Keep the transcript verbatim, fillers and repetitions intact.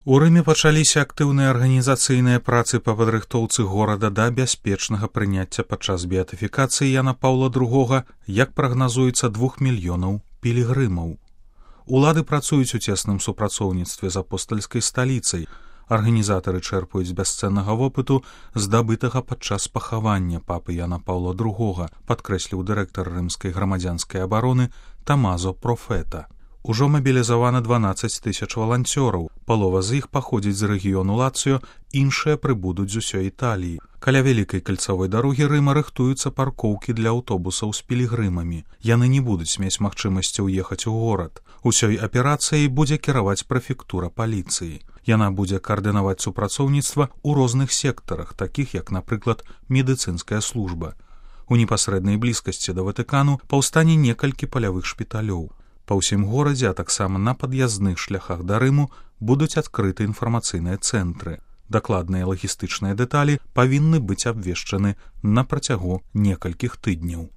У Рыме пачаліся актыўныя арганізацыйныя працы па падрыхтоўцы горада да бяспечнага прыняцця падчас беатыфікацыі Яна Паўла другога, як прагназуецца, двух мільёнаў пілігрымаў. Улады працуюць у цесным супрацоўніцтве з апостальскай сталіцай. Арганізатары чэрпаюць з бясцэннага вопыту, здабытага падчас пахавання папы Яна Паўла другога, падкрэсліў дырэктар рымскай грамадзянскай абароны Тамазо Профета. Ужо мабілізавана дванаццаць тысяч валанцёраў, палова з іх паходзіць з рэгіёну Лацыё, іншыя прыбудуць з усёй Італіі. Каля вялікай кальцавой дарогі Рыма рыхтуюцца паркоўкі для аўтобусаў з пілігрымамі. Яны не будуць мець магчымасці ўехаць у горад. Усёй аперацыяй будзе кіраваць прэфектура паліцыі. Яна будзе каардынаваць супрацоўніцтва ў розных сектарах, такіх як, напрыклад, медыцынская служба. У непасрэднай блізкасці да Ватыкану паўстане некалькі палявых шпіталёў. Па ўсім горадзе, а таксама на пад'язных шляхах да Рыму будуць адкрыты інфармацыйныя цэнтры. Дакладныя лагістычныя дэталі павінны быць абвешчаны на працягу некалькіх тыдняў.